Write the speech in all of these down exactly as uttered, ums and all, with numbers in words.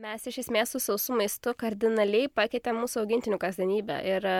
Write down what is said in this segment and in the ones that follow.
Mes iš esmės su sausu maistu kardinaliai pakeitėm mūsų augintinių kasdienybę ir e,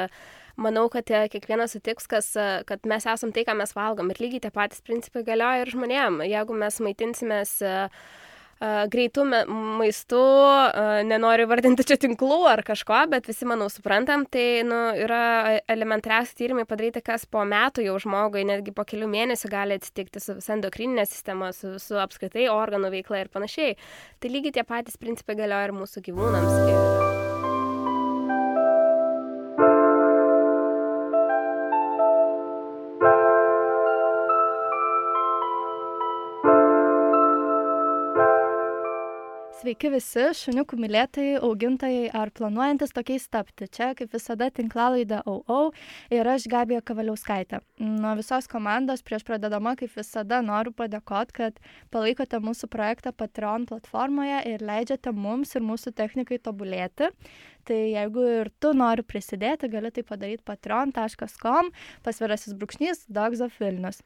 manau, kad e, kiekvienas sutiks, kas, e, kad mes esam tai, ką mes valgom ir lygiai tie patys principai galioja ir žmonėm. Jeigu mes maitinsimės e, e, greitų me- maistu, e, nenoriu vardinti čia tinklų ar kažko, bet visi, manau, suprantam, tai nu, yra elementariausi tyrimai padaryti, kas po metų jau žmogui, netgi po kelių mėnesių gali atsitikti su visa endokrininė sistema, su, su apskritai organų veikla ir panašiai. Tai lygiai tie patys principai galioja ir mūsų gyvūnams. Ir... Sveiki visi, šuniukų mylėtojai, augintojai ar planuojantis tokiais tapti. Čia, kaip visada, tinklalaidė Au Au ir aš, Gabija Kavaliauskaitė. Nuo visos komandos prieš pradedama, kaip visada, noriu padėkoti, kad palaikote mūsų projektą Patreon platformoje ir leidžiate mums ir mūsų technikai tobulėti. Tai jeigu ir tu nori prisidėti, gali tai padaryti patreon taškas com, pasvirasis brūkšnys Dogs of Vilnius.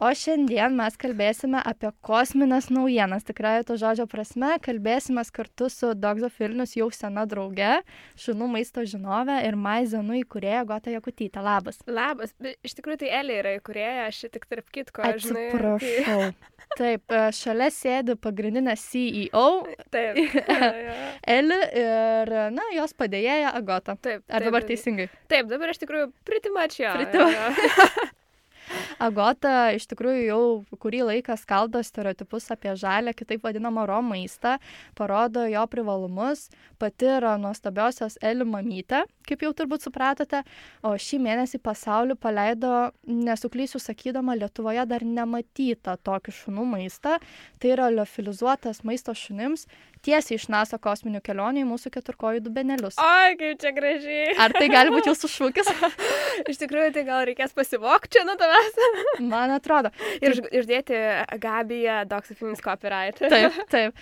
O šiandien mes kalbėsime apie kosmines naujienas. Tikrai to žodžio prasme, kalbėsime kartu su Dogs of Vilnius jau sena drauge, šunų maisto žinove ir Maizenu įkūrėja Agota Jakutytė. Labas. Labas. Iš tikrųjų, tai Elė yra įkūrėja, aš tik tarp kitko. Atsiprašau. Žinai, tai... Taip, šalia sėdi pagrindinė C E O. Taip. Ja, ja. Eli ir, na, jos padėjėja Agota. Taip. Ar taip, dabar taip. teisingai? Taip, dabar iš tikrųjų pretty much jo. Pretty much. Agota iš tikrųjų jau kurį laiką skaldo stereotipus apie žalią, kitaip vadinamą raw maistą, parodo jo privalumus, pati yra nuostabiosios Eli mamytė, kaip jau turbūt supratote, o šį mėnesį pasaulį paleido, nesuklysiu sakydama, Lietuvoje dar nematytą tokį šunų maistą, tai yra liofilizuotas maisto šunims, tiesiai iš NASA kosminių kelionių į mūsų keturkojų dubenėlius. Oi, kaip čia gražiai. Ar tai gali būti jūsų šūkis? Iš tikrųjų, tai gal reikės pasivokti čia nuo tavęs. Man atrodo. Ir uždėti Gabiją Dogs of Vilnius copyright. Taip, taip.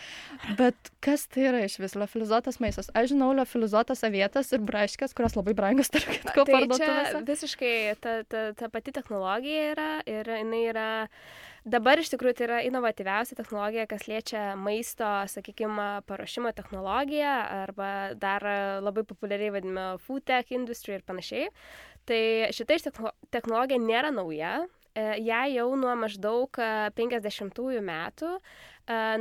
Bet kas tai yra iš vis liofilizuotas maistas? Aš žinau liofilizuotas avietas ir braškės, kurios labai brangios, tarp kitko, parduotuvėse. Tai čia visiškai ta, ta, ta pati technologija yra ir jinai yra... Dabar iš tikrųjų tai yra inovatyviausia technologija, kas liečia maisto, sakykime, paruošimo technologiją arba dar labai populiariai vadinama food tech industry ir panašiai. Tai šita technologija nėra nauja. Ją jau nuo maždaug penkiasdešimtųjų metų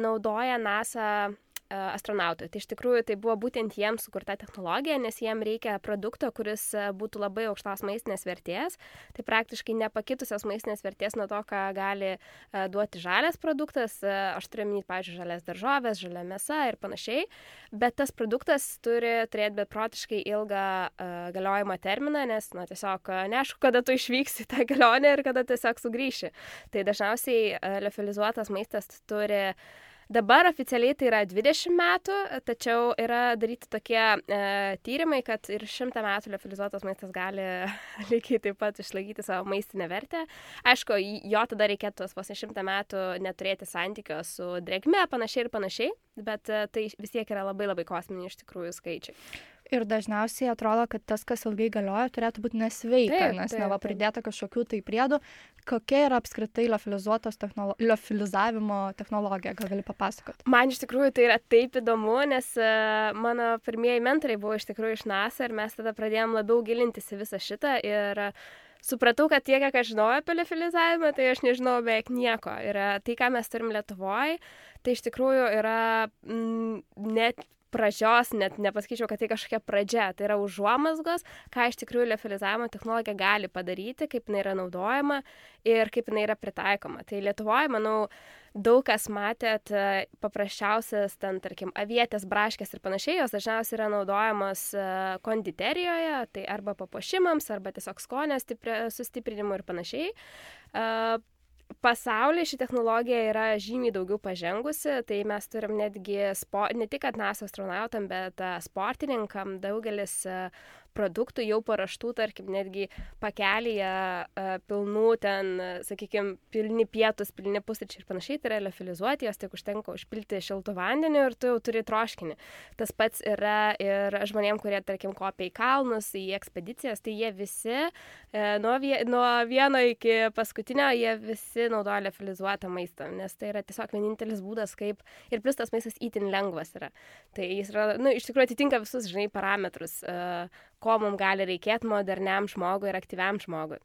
naudoja NASA astronautai. Tai iš tikrųjų tai buvo būtent jiems sukurta technologija, nes jiem reikia produkto, kuris būtų labai aukštos maistinės vertės. Tai praktiškai nepakitusios maistinės vertės nuo to, ką gali duoti žalias produktas. Aš turiu minėti, pavyzdžiui, žalias daržovės, žalia mėsa ir panašiai. Bet tas produktas turi turėti beprotiškai ilgą uh, galiojimo terminą, nes na, tiesiog neaišku, kada tu išvyksi tą kelionę ir kada tiesiog sugrįši. Tai dažniausiai uh, liofilizuotas maistas turi dabar oficialiai tai yra dvidešimt metų, tačiau yra daryti tokie e, tyrimai, kad ir šimtą metų liofilizuotas maistas gali lygiai taip pat išlaikyti savo maistinę vertę. Aišku, jo tada reikėtų vos šimtą metų neturėti santykio su drėgme, panašiai ir panašiai, bet e, tai vis tiek yra labai labai kosminiai iš tikrųjų skaičiai. Ir dažniausiai atrodo, kad tas, kas ilgai galioja, turėtų būti nesveika, taip, nes neva pridėta kažkokių tai priedų. Kokia yra apskritai liofilizuotos technolo... liofilizavimo technologija? Gal gali papasakoti? Man iš tikrųjų tai yra taip įdomu, nes uh, mano pirmieji mentoriai buvo iš tikrųjų iš NASA ir mes tada pradėjom labiau gilintis į visą šitą ir uh, supratau, kad tiek, kiek aš žinojau apie liofilizavimą, tai aš nežinau beveik nieko. Ir uh, tai, ką mes turim Lietuvoje, tai iš tikrųjų yra mm, net pradžios, net nepasakyčiau, kad tai kažkokia pradžia, tai yra užuomazgos, ką iš tikrųjų liofilizavimo technologija gali padaryti, kaip jinai yra naudojama ir kaip jinai yra pritaikoma. Tai Lietuvoje, manau, daug kas matėt paprasčiausias, ten, tarkim, avietės, braškės ir panašiai, jos dažniausiai yra naudojamos konditerijoje, tai arba papuošimams, arba tiesiog skonio sustiprinimui ir panašiai. Pasaulyje ši technologija yra žymiai daugiau pažengusi, tai mes turim netgi, spo, ne tik kad NASA astronautam, bet sportininkam daugelis produktų jau paruoštų, tarkim, netgi pakelyje pilnų ten, sakykime, pilni pietus, pilni pusryčiai ir panašiai, tai yra liofilizuoti, jos tik užtenka užpilti šiltų vandeniu ir tu jau turi troškinį. Tas pats yra ir žmonėm, kurie, tarkim, kopia į kalnus, į ekspedicijas, tai jie visi, nuo, vie, nuo vieno iki paskutinio, jie visi naudoja liofilizuotą maistą, nes tai yra tiesiog vienintelis būdas, kaip ir plus tas maistas itin lengvas yra. Tai jis yra, nu, iš tikrųjų atitinka visus, žinai, parametrus, ko mums gali reikėti moderniam žmogui ir aktyviam žmogui.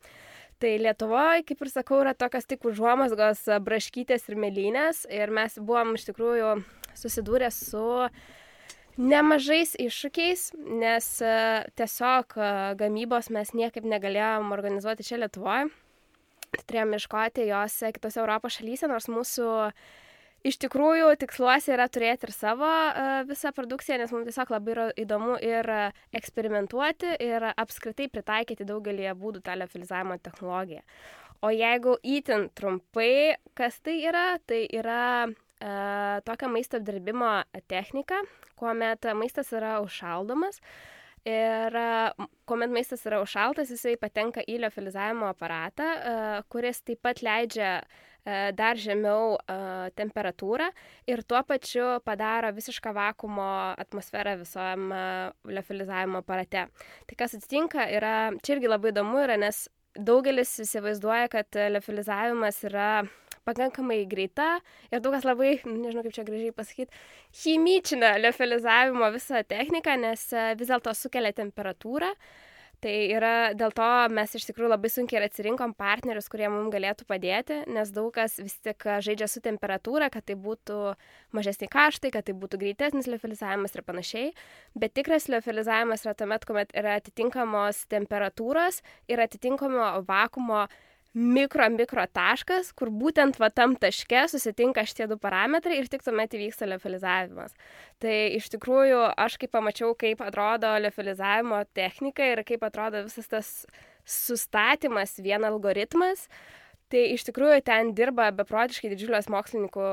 Tai Lietuvoje, kaip ir sakau, yra tokios tik užuomazgos braškytės ir mėlynės ir mes buvom iš tikrųjų susidūrę su nemažais iššūkiais, nes tiesiog gamybos mes niekaip negalėjom organizuoti čia Lietuvoje. Turėjom ieškoti jos kitose Europos šalyse, nors mūsų iš tikrųjų tiksluose yra turėti ir savo uh, visą produkciją, nes mums tiesiog labai yra įdomu ir uh, eksperimentuoti ir apskritai pritaikyti daugelį būdų tą liofilizavimo technologiją. O jeigu itin trumpai, kas tai yra, tai yra uh, tokia maisto apdirbimo technika, kuomet maistas yra užšaldomas. Ir kuomet maistas yra užšaltas, jisai patenka į liofilizavimo aparatą, kuris taip pat leidžia dar žemiau temperatūrą ir tuo pačiu padaro visišką vakuumo atmosferą visam liofilizavimo aparate. Tai kas atsitinka, yra, čia irgi labai įdomu yra, nes daugelis įsivaizduoja, kad liofilizavimas yra pakankamai greita ir daug kas labai, nežinau kaip čia gražiai pasakyti, chimičina liofilizavimo visą techniką, nes vis dėlto sukelia temperatūrą. Tai yra, dėl to mes iš tikrųjų labai sunkiai ir atsirinkom partnerius, kurie mums galėtų padėti, nes daug kas vis tik žaidžia su temperatūra, kad tai būtų mažesni kaštai, kad tai būtų greitesnis liofilizavimas ir panašiai. Bet tikras liofilizavimas yra tuomet, kuomet yra atitinkamos temperatūros ir atitinkamo vakuumo mikro, mikro taškas, kur būtent va tam taške susitinka šitie du parametrai ir tik tuomet įvyksta liofilizavimas. Tai iš tikrųjų aš kaip pamačiau, kaip atrodo liofilizavimo technika ir kaip atrodo visas tas sustatymas, vien algoritmas, tai iš tikrųjų ten dirba beprotiškai didžiulės mokslininkų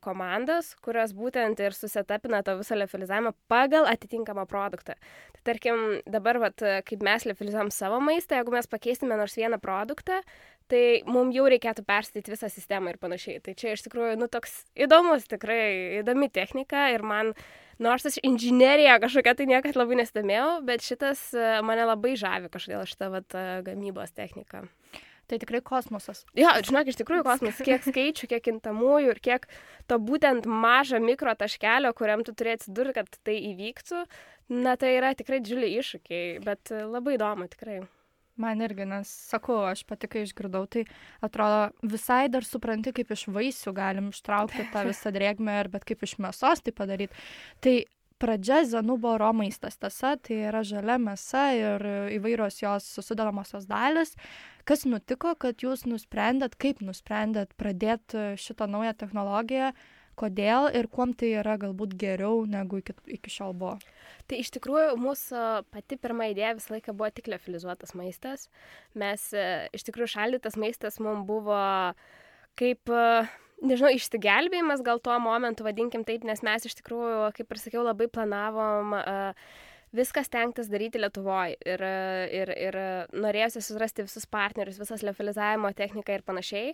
komandos, kurios būtent ir susetapina to visą liofilizavimą pagal atitinkamą produktą. Tai tarkim, dabar, vat, kaip mes liofilizuojam savo maistą, jeigu mes pakeisime nors vieną produktą, tai mums jau reikėtų perstatyti visą sistemą ir panašiai. Tai čia iš tikrųjų, nu, toks įdomus, tikrai įdomi technika ir man, nors aš inžineriją kažkokia tai niekad labai nesidomėjau, bet šitas mane labai žavi kažkodėl šitą vat, gamybos techniką. Tai tikrai kosmosas. Jo, žinok, iš tikrųjų kosmosas, kiek skaičių, kiek kintamųjų ir kiek to būtent mažo mikro taškelio, kuriam tu turi atsidurti, kad tai įvyktų, na tai yra tikrai didžiuliai iššūkiai, bet labai įdomu tikrai. Man irgi, nes sakau, aš pati kai išgirdau, tai atrodo visai dar supranti, kaip iš vaisių galim ištraukti tą visą drėgmę, bet kaip iš mėsos tai padaryti. Tai pradžia Zanuboro maistas, tiesa, tai yra žalia mėsa ir įvairios jos sudedamosios dalis. Kas nutiko, kad jūs nusprendėt, kaip nusprendėt pradėti šitą naują technologiją, kodėl ir kuom tai yra galbūt geriau negu iki, iki šiol buvo? Tai iš tikrųjų mūsų pati pirma idėja visą laiką buvo tik liofilizuotas maistas. Mes iš tikrųjų šaldytas maistas mums buvo kaip, nežinau, išsigelbėjimas gal tuo momentu, vadinkim taip, nes mes iš tikrųjų, kaip ir sakiau, labai planavom uh, viskas stengtis daryti Lietuvoje ir, ir, ir norėjusi surasti visus partnerius, visas liofilizavimo techniką ir panašiai.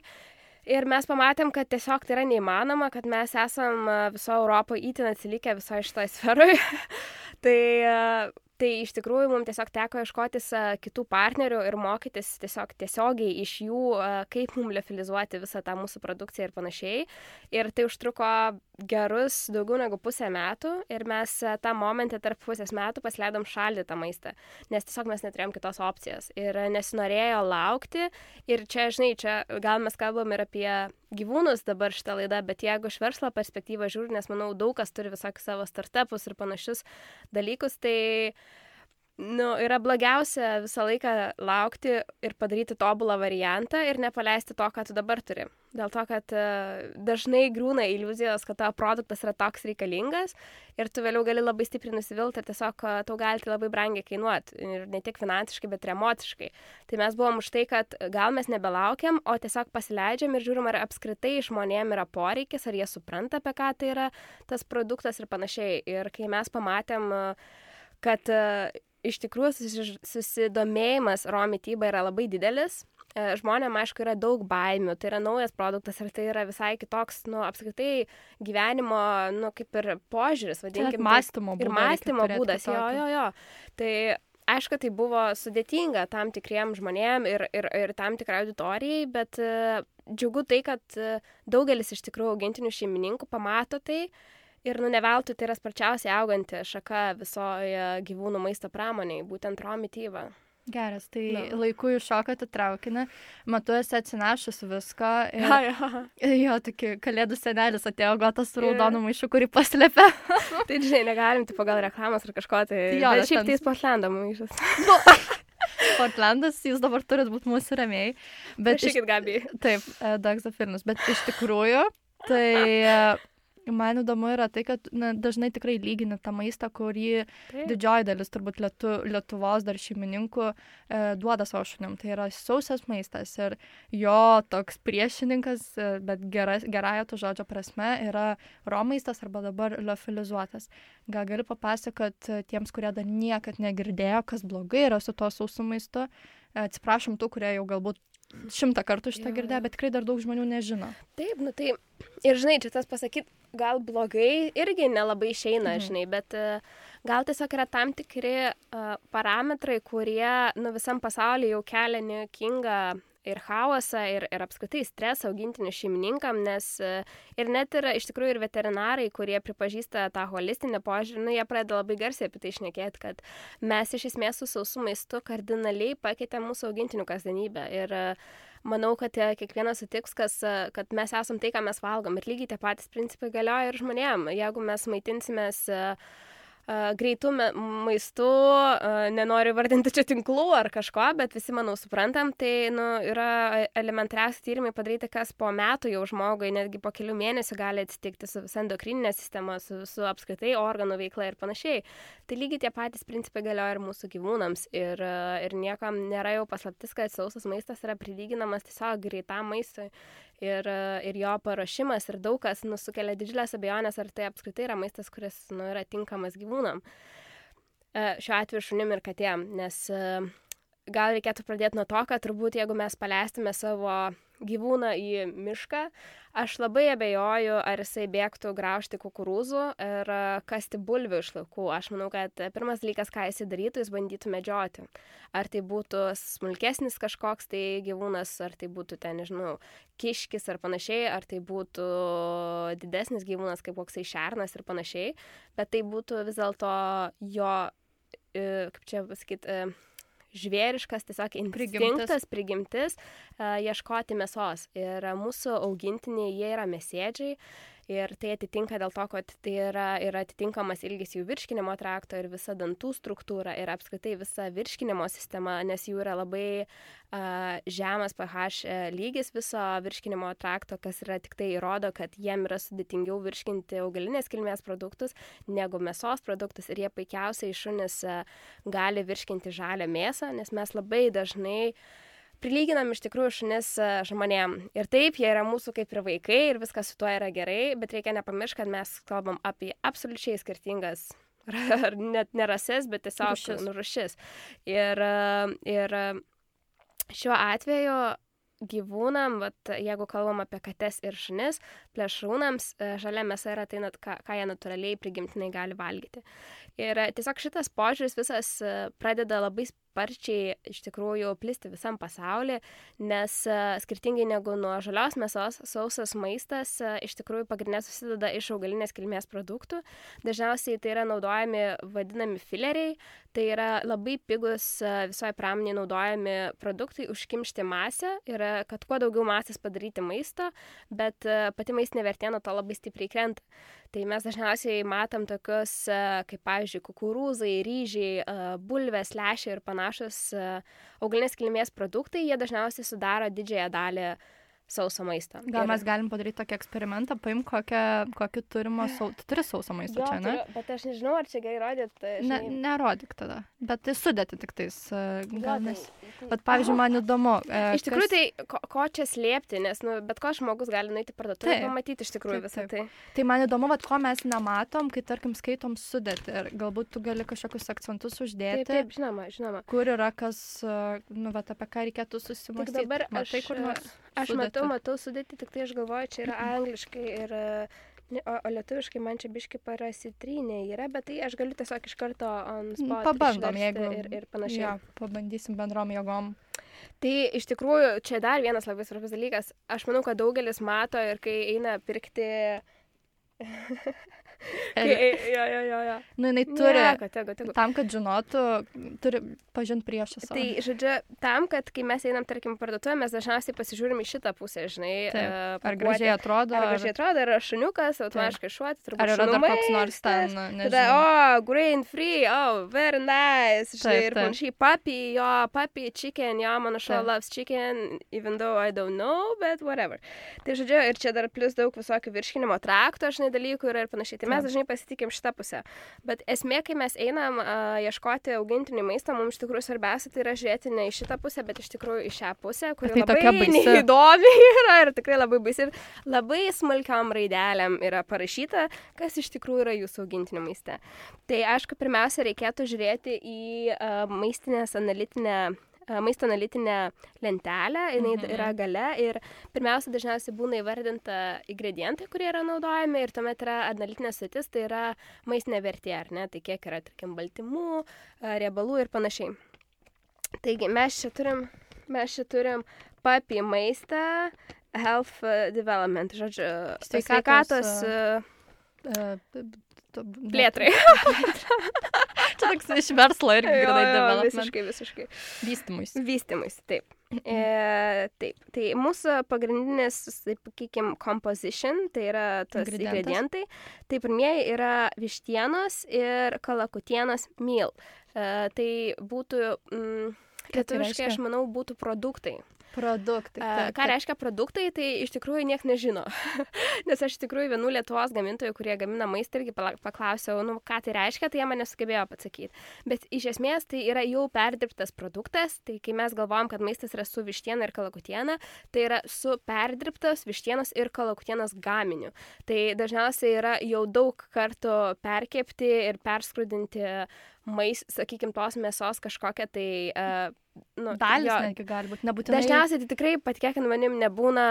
Ir mes pamatėm, kad tiesiog tai yra neįmanoma, kad mes esam viso Europoje itin atsilikę visoje šitoje sferoje. tai, tai iš tikrųjų mums tiesiog teko ieškotis kitų partnerių ir mokytis tiesiog tiesiogiai iš jų, kaip mums liofilizuoti visą tą mūsų produkciją ir panašiai. Ir tai užtruko gerus daugiau negu pusę metų ir mes tą momentą tarp pusės metų pasileidom šaldytą maistą, nes tiesiog mes neturėjom kitos opcijos ir nesinorėjo laukti. Ir čia, žinai, čia gal mes kalbam ir apie gyvūnus dabar šitą laidą, bet jeigu iš verslo perspektyvą žiūri, nes manau daug kas turi visokius savo startupus ir panašius dalykus, tai nu, yra blogiausia visą laiką laukti ir padaryti tobulą variantą ir nepaleisti to, ką tu dabar turi. Dėl to, kad uh, dažnai griūna iliuzijos, kad tavo produktas yra toks reikalingas ir tu vėliau gali labai stipriai nusivilti ir tiesiog uh, tau gali tai labai brangiai kainuoti. Ir ne tik finansiškai, bet ir emociškai. Tai mes buvom už tai, kad gal mes nebelaukiam, o tiesiog pasileidžiam ir žiūrim, ar apskritai žmonėm yra poreikis, ar jie supranta, apie ką tai yra tas produktas ir panašiai. Ir kai mes pamatėm, uh, kad uh, iš tikrųjų susi- susidomėjimas raw mityba yra labai didelis. E, Žmonėm, aišku, yra daug baimių, tai yra naujas produktas ir tai yra visai kitoks, nu, apskritai gyvenimo, nu, kaip ir požiūris, Čia net vadinkim. mąstymo Ir būdą mąstymo reikia turėt būdas, jo, kitokį. jo, jo. Tai aišku, tai buvo sudėtinga tam tikriem žmonėm ir, ir, ir tam tikrai auditorijai, bet e, džiugu tai, kad e, daugelis iš tikrųjų augintinių šeimininkų pamato tai ir, nu, ne veltui tai yra sparčiausiai auganti šaka visoje gyvūnų maisto pramoniai, būtent raw mityba. Geras, tai Na. laiku iššokate traukinį, matau, esi atsinešus viską. Ir, Ja, ja. jo, tokį kalėdų senelis atėjo gotas su Ir- raudonu maišu, kurį paslėpė. Tai, žinai, negalim, tipo, gal reklamos ar kažko, tai... Jo, Bet nes šiaip ten- tai Portlando maišas. Portlandas, jūs dabar turit būti mūsų rėmėjai. Bet iš, Prašykit, Gabi. taip, Dagzafilnus, bet iš tikrųjų, tai e, man įdomu yra tai, kad na, dažnai tikrai lygini tą maistą, kurį Taip. didžioji dalis turbūt lietu, Lietuvos dar šeimininkų e, duoda savo šunim. Tai yra sausas maistas ir jo toks priešininkas, e, bet gera, gerąją to žodžio prasme, yra raw maistas arba dabar liofilizuotas. Gal gali papasakot e, tiems, kurie dar niekad negirdėjo, kas blogai yra su tuo sausu maistu. E, Atsiprašom tų, kurie jau galbūt šimtą kartų šitą Jo, girdėjo, jo. bet tikrai dar daug žmonių nežino. Taip, nu tai... Ir, žinai, čia tas pasakyt, gal blogai irgi nelabai išeina, Mhm. žinai, bet e, gal tiesiog yra tam tikri e, parametrai, kurie, nu, visam pasaulyje jau kelia niekingą ir chaosą, ir, ir apskritai stresą augintinių šeimininkam, nes e, ir net yra iš tikrųjų ir veterinarai, kurie pripažįsta tą holistinį požiūrį, nu, jie pradeda labai garsiai apie tai šnekėti, kad mes iš esmės su sausu maistu kardinaliai pakeitė mūsų augintinių kasdienybę. Ir e, manau, kad e, kiekvienas sutiks, kas, e, kad mes esam tai, ką mes valgom. Ir lygiai tie patys principai galioja ir žmonėm. Jeigu mes maitinsimės e, e, greitų me- maistų, e, nenoriu vardinti čia tinklų ar kažko, bet visi, manau, suprantam, tai nu, yra elementariausi tyrimai padaryti, kas po metų jau žmogui, netgi po kelių mėnesių gali atsitikti su visa endokrininė sistema, su, su apskritai organų veikla ir panašiai. Tai lygiai tie patys principai galioja ir mūsų gyvūnams. Ir, e, ir niekam nėra jau paslaptis, kad sausas maistas yra prilyginamas tiesiog greitam maistui. Ir, e, ir jo paruošimas ir daug kas nu, sukelia didžiulės abejonės, ar tai apskritai yra maistas, kuris nu, yra tinkamas gyvūnam. E, Šiuo atveju šunim ir katėm, nes e, gal reikėtų pradėti nuo to, kad turbūt jeigu mes paleistume savo gyvūną į mišką, aš labai abejoju, ar jisai bėgtų graužti kukurūzų ir e, kasti bulvių iš laukų. Aš manau, kad e, pirmas dalykas, ką jisai darytų, jis bandytų medžioti. Ar tai būtų smulkesnis kažkoks tai gyvūnas, ar tai būtų ten, nežinau, kiškis ar panašiai, ar tai būtų didesnis gyvūnas kaip koksai šernas ir panašiai, bet tai būtų vis dėlto jo, e, kaip čia pasakyti, žvėriškas tiesiog instinktas, prigimtis, uh, ieškoti mėsos. Ir uh, mūsų augintiniai, jie yra mėsėdžiai ir tai atitinka dėl to, kad tai yra, yra atitinkamas ilgis jų virškinimo trakto ir visa dantų struktūra ir apskritai visa virškinimo sistema, nes jų yra labai uh, žemas pH lygis viso virškinimo trakto, kas yra tik tai įrodo, kad jiem yra sudėtingiau virškinti augalinės kilmės produktus negu mėsos produktus ir jie puikiausiai šunys uh, gali virškinti žalią mėsą, nes mes labai dažnai prilyginam iš tikrųjų šunis e, žmonėm. Ir taip, jie yra mūsų kaip ir vaikai ir viskas su tuo yra gerai, bet reikia nepamiršti, kad mes kalbam apie absoliučiai skirtingas, ar net ne rases, bet tiesiog Rūšis. nu, rūšis. Ir, e, ir e, šiuo atveju gyvūnam, vat, jeigu kalbam apie kates ir šunis, plėšrūnams e, žalia mėsa yra tai, nat- ką, ką jie natūraliai prigimtinai gali valgyti. Ir e, tiesiog šitas požiūris visas e, pradeda labai sparčiai iš tikrųjų plisti visam pasaulyje, nes e, skirtingai negu nuo žalios mėsos, sausas maistas e, iš tikrųjų pagrindinė susideda iš augalinės kilmės produktų. Dažniausiai tai yra naudojami vadinami fileriai, tai yra labai pigus e, visoje pramonėje naudojami produktai užkimšti masę ir e, kad kuo daugiau masės padaryti maisto, bet e, pati maistinė vertė nuo to labai stipriai krenta. Tai mes dažniausiai matom tokius, e, kaip, pavyzdžiui, kukurūzai, ryžiai, e, bulvės, lęšiai ir panašus e, augalinės kilmės produktai, jie dažniausiai sudaro didžiąją dalį sauso maisto. Gal Ir- mes galim padaryti tokį eksperimentą, paim kokią, kokį turimo sausą. Tu turi sausą maistą Jo, čia, ne? turiu, bet aš nežinau, ar čia gerai rodyt. Ne, nerodyk tada. Bet tai sudėti tik tais. e, Jo, Gal tai nes... Bet, pavyzdžiui, man įdomu. E, iš tikrųjų, kas... tai ko, ko čia slėpti, nes nu, bet ko žmogus gali nueiti parduotuvę ir pamatyti iš tikrųjų taip, visą tai. Tai man įdomu, vat, ko mes nematom, kai, tarkim, skaitom sudėtį. Ir galbūt tu gali kažkokius akcentus uždėti. Taip, taip, žinoma, žinoma. Kur yra kas, nu, vat, apie ką reikėtų susimąstyti. Tik dabar Matai, aš, kur nors aš matau, matau sudėti, tik tai aš galvoju, čia yra angliškai ir... O, o lietuviškai man čia biški parasitrynė yra, bet tai aš galiu tiesiog iš karto on spot pabandom, jeigu ir, ir panašiai. Ja, pabandysim bendrom jėgom. Tai iš tikrųjų čia dar vienas labai svarbus dalykas. Aš manau, kad daugelis mato ir kai eina pirkti... kai, jo, jo, jo, jo. Nu, jinai turi, Nieko, tegu, tegu. tam, kad žinotų, turi pažinti priešą savo. Tai, žodžiu, tam, kad kai mes einam, tarkim, parduotuvę, mes dažniausiai pasižiūrim į šitą pusę, žinai. Taip. Uh, ar gražiai atrodo. Ar gražiai atrodo, ar šuniukas, automatiškai šuoti, turbūt ar yra šunų dar koks nors ten, nežinau. Tada, oh, grain free, oh, very nice, žinai, taip, ir panašiai, puppy, jo, puppy, chicken, jo, mano šuo loves chicken, even though I don't know, but whatever. Tai, žodžiu, ir čia dar plus daug visokių virškinimo trakto, žinai, dalykų yra ir panašiai. Tai mes dažnai pasitikim šitą pusę. Bet esmė, kai mes einam uh, ieškoti augintinių maisto, mums iš tikrųjų svarbiausia tai yra žiūrėti ne į šitą pusę, bet iš tikrųjų į šią pusę, kuri tai labai neįdomi yra ir tikrai labai baisi. Ir labai smulkiom raidelėm yra parašyta, kas iš tikrųjų yra jūsų augintinių maiste. Tai aišku, pirmiausia, reikėtų žiūrėti į uh, maistinės analitinę maisto analitinę lentelę, jinai mhm. yra gale ir pirmiausia dažniausiai būna įvardinta ingredientai, kurie yra naudojami ir tuomet yra analitinė sudėtis, tai yra maistinė vertė, ar ne, tai kiek yra, tarkim, baltymų, riebalų ir panašiai. Taigi mes čia turim, mes čia turim puppy maistą, health development, žodžiu, sveikatos plėtrai. Čia toks iš verslo irgi grinai development. Visiškai, visiškai. Vystymus. Vystymus, taip. E, taip. Tai mūsų pagrindinis, taip, sakykim, composition, tai yra tas ingredientai. Tai pirmieji yra vištienos ir kalakutienos meal. E, tai būtų, mm, lietuviškai, aš manau, būtų produktai. Produktai. Taip, ką reiškia produktai, tai iš tikrųjų niek nežino. Nes aš iš tikrųjų vienų Lietuvos gamintojų, kurie gamina maistą, irgi paklausiau, nu, ką tai reiškia, tai jie man nesugebėjo pasakyti. Bet iš esmės tai yra jau perdirbtas produktas, tai kai mes galvojam, kad maistas yra su vištiena ir kalakutiena, tai yra su perdirbtas vištienos ir kalakutienos gaminiu. Tai dažniausiai yra jau daug kartų perkepti ir perskrudinti mais, sakykim, tos mėsos kažkokią tai... Uh, nu, dalis netgi gali būti, nebūtinai. Dažniausiai tai tikrai, patikėkit manim, nebūna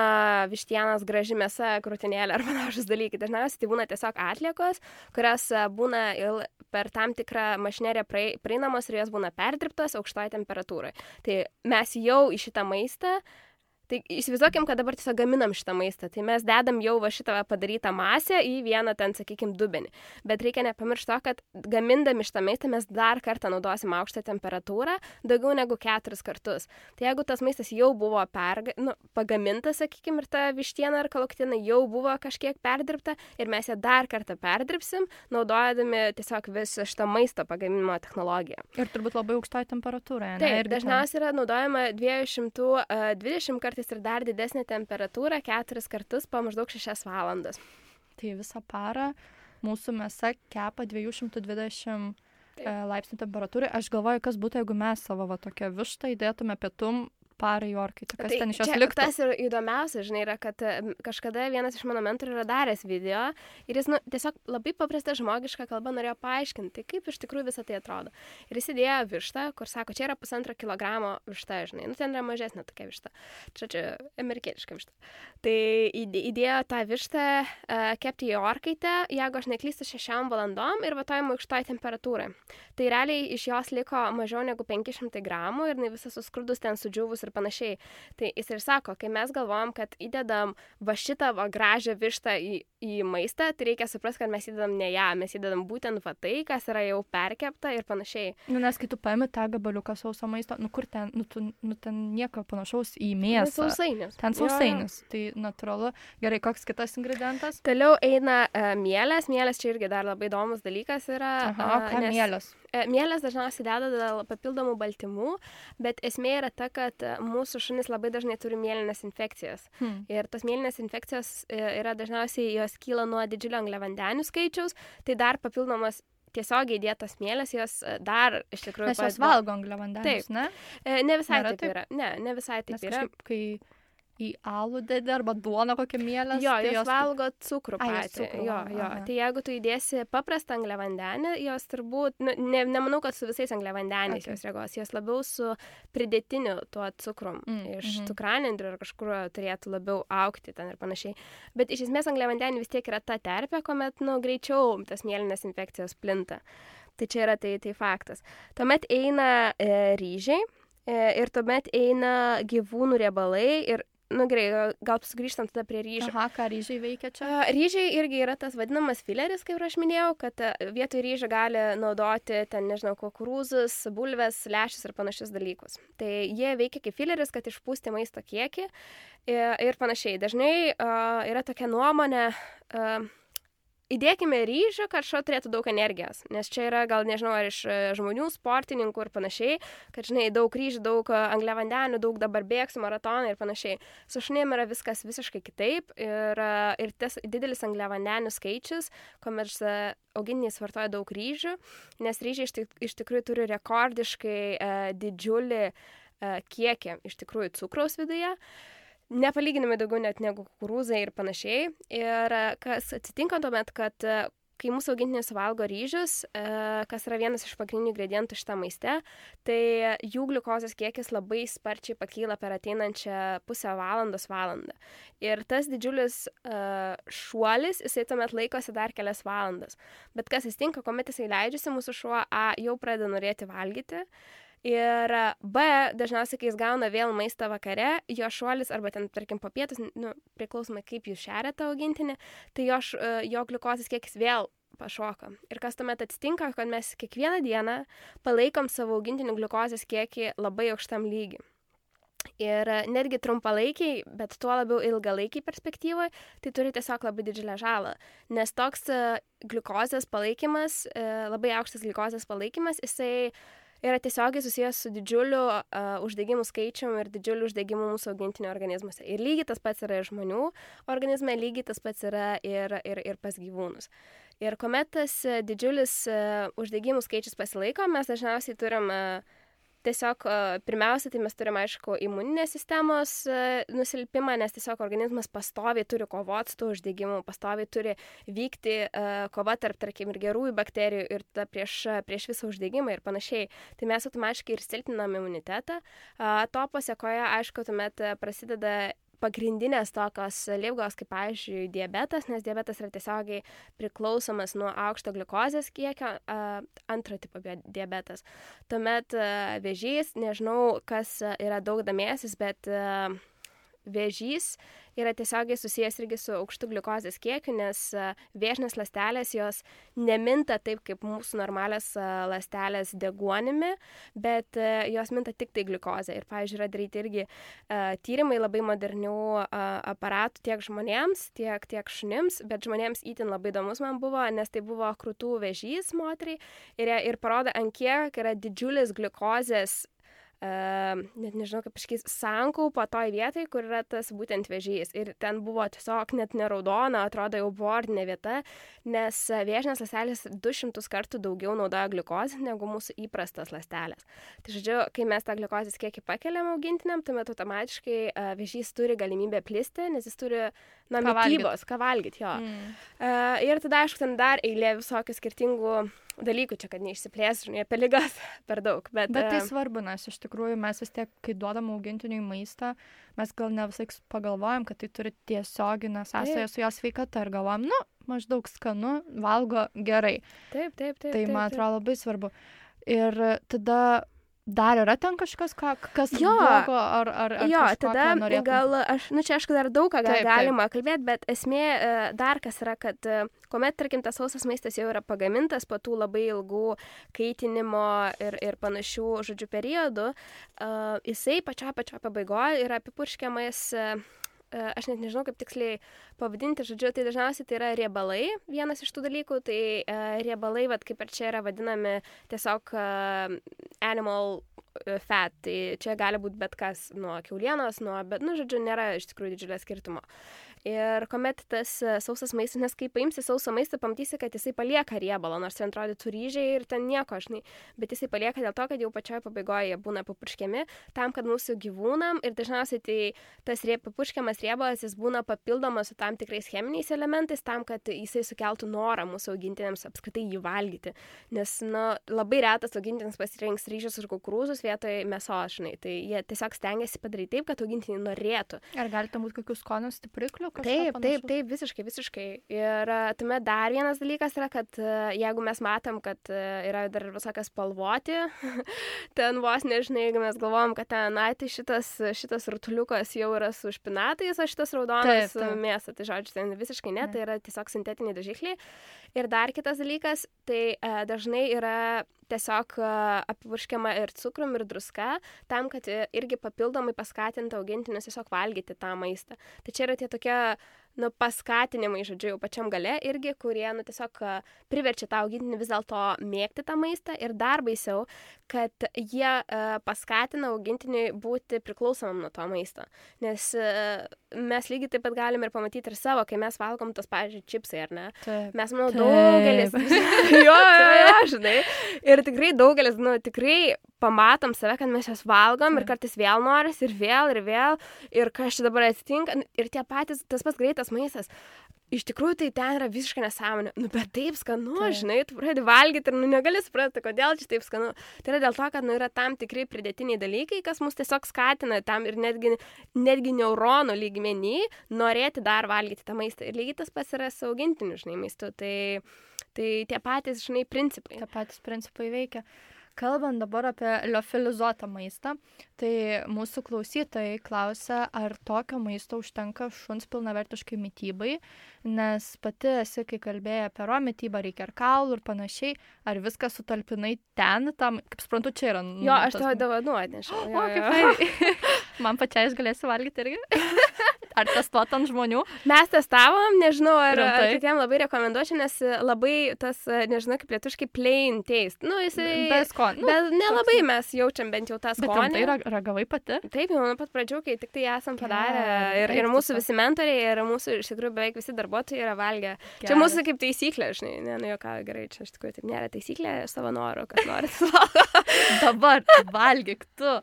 vištienos graži mėsa, krūtinėlė ar panašus dalykai. Dažniausiai tai būna tiesiog atliekos, kurios būna il, per tam tikrą mašineriją prieinamos ir jos būna perdirbtos aukštoje temperatūroje. Tai mes jau į šitą maistą... Tai įsivaizduokim, kad dabar tiesiog gaminam šitą maistą. Tai mes dedam jau va šitą padarytą masę į vieną ten, sakykim, dubenį. Bet reikia nepamiršti to, kad gamindami šitą maistą mes dar kartą naudosim aukštą temperatūrą, daugiau negu keturis kartus. Tai jeigu tas maistas jau buvo perga, nu, pagamintas, sakykim, ir ta vištiena ar kalakutiena jau buvo kažkiek perdirbta ir mes ją dar kartą perdirbsim, naudojami tiesiog visą šitą maisto pagaminimo technologiją. Ir turbūt labai aukštoje temperatūroje. Taip, ir dažniausiai yra naudojama dviejų šimtų dvidešimt kartų ir dar didesnė temperatūra keturis kartus po maždaug šešias valandas. Tai visą parą mūsų mėsa kepa dviejų šimtų dvidešimt laipsnių temperatūrai. Aš galvoju, kas būtų, jeigu mes savo va, tokią vištą įdėtume pietum parai orkai. Tai kas tai ten iš jos liktų? Tas ir įdomiausia, žinai, yra, kad kažkada vienas iš mano mentorių yra daręs video ir jis nu, tiesiog labai paprasta žmogiška kalba norėjo paaiškinti, kaip iš tikrųjų visą tai atrodo. Ir jis įdėjo vištą, kur sako, čia yra pusantro kilogramo višta, žinai, nu ten yra mažesnė tokia višta. Čia čia amerikietiška višta. Tai įdėjo tą vištą uh, kepti į orkaitę, jeigu aš neklystu, šešiom valandom ir vartojimo aukštoje temperatūroje. Tai realiai iš jos liko mažiau negu penki šimtai gramų ir visas suskrudus ten sudžiūvus ir panašiai. Tai jis ir sako, kai mes galvojam, kad įdedam va šitą va gražią vištą į, į maistą, tai reikia suprasti, kad mes įdedam ne ją, mes įdedam būtent va tai, kas yra jau perkepta ir panašiai. Nu, nes kai tu paimi tą gabaliuką sauso maisto, nu kur ten, nu, tu, nu ten nieko panašaus į mėsą. Sausainis. Ten sausainis. Tai natūralu. Gerai, koks kitas ingredientas? Toliau eina uh, mielės. Mielės čia irgi dar labai įdomus dalykas yra. Aha, uh, ką nes... mielės? Mielės dažniausiai deda dėl papildomų baltymų, bet esmė yra ta, kad mūsų šunys labai dažnai turi mielinės infekcijas. Hmm. Ir tos mielinės infekcijos yra dažniausiai, jos kyla nuo didžiulio angliavandenių skaičiaus, tai dar papildomas tiesiogiai įdėtos mielės, jos dar iš tikrųjų... Nes jos valgo angliavandenius, ne? E, ne visai Nėra taip, taip yra. Ne, ne visai taip Nes yra. kažkaip, kai į alų dedi arba duoną kokią mielės. Jo, tai jos valgo cukrų Ai, jos patį. cukrų Jo, valgo, jo. aha. Tai jeigu tu įdėsi paprastą angliavandenį, jos turbūt, nu, ne, nemanau, kad su visais angliavandeniais Okay. jos reagos, jos labiau su pridėtiniu tuo cukrum. Mm, Iš mhm. cukranendrių ar kažkur turėtų labiau augti ten ir panašiai. Bet iš esmės angliavandeniai vis tiek yra ta terpė, kuomet, nu, greičiau tas mėlynas infekcijos plinta. Tai čia yra tai, tai faktas. Tuomet eina e, ryžiai e, ir tuomet eina gyvūnų riebalai ir, nu gerai, gal sugrįžtant tada prie ryžių. Aha, ką ryžiai veikia čia? A, Ryžiai irgi yra tas vadinamas fileris, kaip aš minėjau, kad a, vietoj ryžių gali naudoti ten, nežinau, kukurūzus, bulves, lęšius ir panašius dalykus. Tai jie veikia kaip fileris, kad išpūsti maisto kiekį ir, ir panašiai. Dažnai a, yra tokia nuomonė, a, įdėkime ryžių, kad šuo turėtų daug energijos, nes čia yra gal, nežinau, ar iš e, žmonių, sportininkų ir panašiai, kad, žinai, daug ryžių, daug e, angliavandenių, daug dabar bėgsiu maratoną ir panašiai. Su šunim yra viskas visiškai kitaip ir, e, ir tas didelis angliavandenių skaičius, kuomet e, augintiniai vartoja daug ryžių, nes ryžiai iš, tik, iš tikrųjų turi rekordiškai e, didžiulį e, kiekį iš tikrųjų cukraus viduje. Nepalyginamai daugiau net negu kukurūzai ir panašiai. Ir kas atsitinka tuomet, kad kai mūsų augintiniai suvalgo ryžius, kas yra vienas iš pagrindinių ingredientų šitą maiste, tai jų gliukozės kiekis labai sparčiai pakyla per ateinančią pusę valandos valandą. Ir tas didžiulis šuolis, jisai tuomet laikosi dar kelias valandas. Bet kas atsitinka, kuomet jisai leidžiasi, mūsų šuo A jau pradeda norėti valgyti. Ir B, dažniausiai, kai jis gauna vėl maistą vakare, jo šuolis, arba ten, tarkim, po pietus, nu, priklausomai kaip jūs šeria tą augintinį, tai jo, jo gliukozės kiekis vėl pašoka. Ir kas tuomet atsitinka, kad mes kiekvieną dieną palaikom savo augintinių gliukozės kiekį labai aukštam lygiui. Ir netgi trumpalaikiai, bet tuo labiau ilgalaikiai perspektyvoje, tai turi tiesiog labai didžiulę žalą. Nes toks gliukozės palaikymas, labai aukštas gliukozės palaikymas, jisai yra tiesiogiai susijęs su didžiuliu uh, uždegimų skaičium ir didžiuliu uždegimu mūsų augintinio organizmuose. Ir lygiai tas pats yra ir žmonių organizme, lygiai tas pats yra ir, ir, ir pas gyvūnus. Ir kuomet tas didžiulis uh, uždegimų skaičius pasilaiko, mes dažniausiai turim uh, tiesiog uh, pirmiausia, tai mes turim, aišku, imuninės sistemos uh, nusilpimą, nes tiesiog organizmas pastoviai turi kovoti su tuo uždegimu, pastoviai turi vykti uh, kova tarp, tarkim, ir gerųjų bakterijų ir ta prieš, prieš visą uždegimą ir panašiai. Tai mes automatiškai ir silpninam imunitetą. Uh, to pasiekoje, aišku, tuomet prasideda pagrindinės tokios ligos, kaip, pavyzdžiui, diabetas, nes diabetas yra tiesiogiai priklausomas nuo aukšto gliukozės kiekio, antro tipo diabetas. Tuomet vėžys, nežinau, kas yra daug domėsis, bet vėžys yra tiesiogiai susijęs irgi su aukštu gliukozės kiekiu, nes vėžinės ląstelės jos neminta taip kaip mūsų normalios ląstelės deguonimi, bet jos minta tik tai gliukozę. Ir, pavyzdžiui, yra daryti irgi uh, tyrimai labai modernių uh, aparatų tiek žmonėms, tiek, tiek šunims, bet žmonėms itin labai įdomus man buvo, nes tai buvo krūtų vėžys moteriai ir, ir parodo, ant kiek yra didžiulis gliukozės Uh, net nežinau, kaip iškės, sankaupa toj vietai, kur yra tas būtent vėžys. Ir ten buvo tiesiog net neraudona, atrodo jau bordinė vieta, nes vėžinės ląstelės du šimtus kartų daugiau naudoja gliukozę negu mūsų įprastas ląstelės. Tai žodžiu, kai mes tą gliukozės kiekį pakeliam augintiniam, tuomet automatiškai uh, vėžys turi galimybę plisti, nes jis turi na, mitybos, ką valgyti, jo. Mm. Uh, ir tada, aišku, ten dar eilė visokių skirtingų dalykų čia, kad neišsiplės, žinai, apie ligas per daug. Bet, bet tai svarbu, nes iš tikrųjų mes vis tiek, kai duodam augintiniui maistą, mes gal ne visai pagalvojam, kad tai turi tiesioginę sąsają su jo sveikata ir galvojam, nu, maždaug skanu, valgo gerai. Taip, taip, taip. Tai taip, man taip. atrodo labai svarbu. Ir tada dar yra ten kažkas, ką, kas jo, blogo, ar, ar, ar jo, kažko, tada norėtum? gal, aš, nu čia aišku dar daug ką gal taip, galima taip. kalbėti, bet esmė dar kas yra, kad kuomet, tarkim, tas sausas maistas jau yra pagamintas po tų labai ilgų kaitinimo ir, ir panašių, žodžių, periodų, uh, jisai pačio pačio pabaigoje yra apipurškiamas, uh, aš net nežinau, kaip tiksliai pavadinti, žodžiu, tai dažniausiai tai yra riebalai, vienas iš tų dalykų, tai uh, riebalai, vat, kaip ir čia yra vadinami tiesiog uh, animal fat, tai čia gali būti bet kas nuo kiaulienos, nuo, bet, nu, žodžiu, nėra iš tikrųjų didžiulio skirtumo. Ir kuomet tas sausas maistas, nes kai paimsi sausą maistą, pamatysi, kad jisai palieka riebalą, nors ten atrodytų ryžiai ir ten nieko, žinai, bet jisai palieka dėl to, kad jau pačioje pabaigoje jie būna papurškiami tam, kad mūsų gyvūnam ir dažniausiai tai tas rie, papurškiamas riebalas jis būna papildomas su tam tikrais cheminiais elementais tam, kad jisai sukeltų norą mūsų augintiniams apskritai jį valgyti. Nes, nu, labai retas augintinis pasirinks ryžius ir kukurūzus vietoj mėsos, žinai, tai jie tiesiog stengiasi padaryti taip, kad augintiniai norėtų. Ar galite būti kokių skonių stipriklių? Taip, taip, taip, visiškai, visiškai. Ir tuomet dar vienas dalykas yra, kad jeigu mes matom, kad yra dar visokias spalvoti, ten vos nežinai, jeigu mes galvojam, kad ten, na, tai šitas, šitas rutuliukas jau yra su špinatais, o šitas raudonas taip, taip. Mėsa, tai žodžiu, ten visiškai ne, tai yra tiesiog sintetiniai dažikliai. Ir dar kitas dalykas, tai e, dažnai yra tiesiog e, apipurškiama ir cukrum, ir druska, tam, kad irgi papildomai paskatintų augintinius tiesiog valgyti tą maistą. Tai čia yra tie tokie, nu, paskatinimai, žodžiu, jau pačiam gale irgi, kurie, nu, tiesiog priverčia tą augintinį vis dėlto mėgti tą maistą ir dar baisiau, kad jie uh, paskatina augintinį būti priklausomam nuo to maisto. Nes uh, mes lygiai taip pat galim ir pamatyti ir savo, kai mes valgom tos, pavyzdžiui, čipsai, ar ne? Taip. Mes, manau, daugelis. jo, jo, jo, žinai. Ir tikrai daugelis, nu, tikrai pamatom save, kad mes jas valgom ir kartais vėl noris ir vėl ir vėl ir kas čia dabar atsitinka ir tie patys, tas pats greitas maistas. Iš tikrųjų, tai ten yra visiškai nesąmonė. Nu, bet taip skanu, taip. Žinai, tu pradedi valgyti ir, nu, negali suprasti, kodėl čia taip skanu. Tai yra dėl to, kad, nu, yra tam tikri pridėtiniai dalykai, kas mus tiesiog skatina tam ir netgi, netgi neuronų lygmenį norėti dar valgyti tą maistą. Ir lygiai tas pats yra su augintiniu, žinai, maistu. Tai, tai tie patys, žinai, principai. Tie patys principai veikia. Kalbant dabar apie liofilizuotą maistą, tai mūsų klausytojai klausia, ar tokio maisto užtenka šuns pilnavertiškai mitybai, nes pati esi, kai kalbėjai apie ro mitybą, reikia ir kaulų ir panašiai, ar viską sutalpinai ten, tam, kaip suprantu, čia yra... Jo, aš tavo dovanų atnešiau. O, kaip tai. Man pačiai aš galėsiu valgyti irgi. Ar testuot ant žmonių? Mes testavom, nežinau, ar, ar kitiem labai rekomenduočiau, nes labai tas, nežinau, kaip lietuviškai plain taste. Nu, jisai... Be skonio. Nu, bet nelabai toks... mes jaučiam bent jau tą skonį. Bet tai ragavai pati? Taip, jau nuo pat pradžių, kai tik tai esam padarę. Ir, ir mūsų visi mentoriai, ir mūsų, iš tikrųjų, beveik visi darbuotojai yra valgę. Gerai. Čia mūsų kaip taisyklė, žinai, ne, nu, jo ką, gerai, čia iš tikrųjų taip nėra taisyklė, savo noro, kas norit. Dabar valgyk tu.